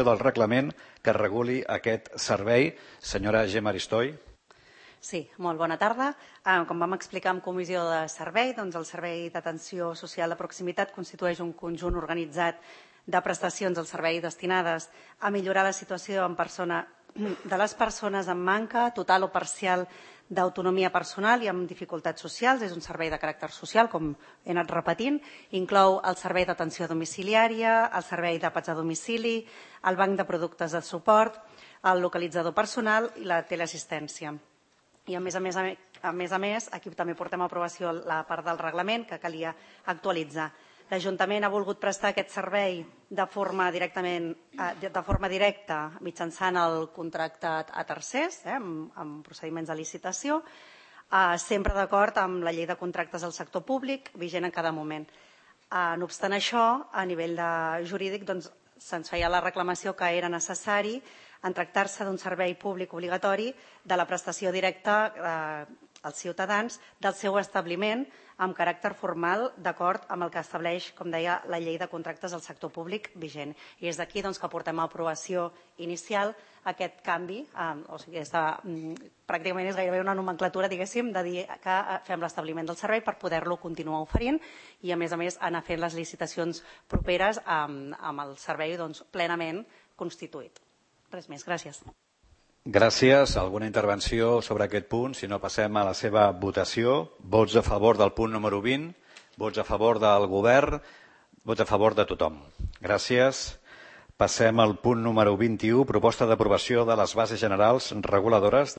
del reglament que reguli aquest servei. Senyora Gemma Aristoi. Sí, molt bona tarda. Com vam explicar en comissió de servei, doncs el Servei d'Atenció Social de Proximitat constitueix un conjunt organitzat de prestacions al servei destinades a millorar la situació de les persones amb manca total o parcial d'autonomia personal i amb dificultats socials. És un servei de caràcter social, com he anat repetint. Inclou el servei d'atenció domiciliària, el servei d'àpats a domicili, el banc de productes de suport, el localitzador personal i la teleassistència. I a més a més, aquí també portem a aprovació la part del reglament que calia actualitzar. L'Ajuntament ha volgut prestar aquest servei de forma directa mitjançant el contracte a tercers, amb procediments de licitació, sempre d'acord amb la llei de contractes del sector públic vigent en cada moment. No obstant això, a nivell jurídic, se'ns feia la reclamació que era necessari, en tractar-se d'un servei públic obligatori, de la prestació directa als ciutadans del seu establiment amb caràcter formal d'acord amb el que estableix, com deia, la llei de contractes del sector públic vigent. I és d'aquí que portem a aprovació inicial aquest canvi, o sigui, pràcticament és gairebé una nomenclatura, diguéssim, de dir que fem l'establiment del servei per poder-lo continuar oferint i, a més, anar fent les licitacions properes amb el servei plenament constituït. Res més, gràcies. Gràcies. Alguna intervenció sobre aquest punt? Si no, passem a la seva votació. Vots a favor del punt número 20, vots a favor del govern, vots a favor de tothom. Gràcies. Passem al punt número 21, proposta d'aprovació de les bases generals reguladores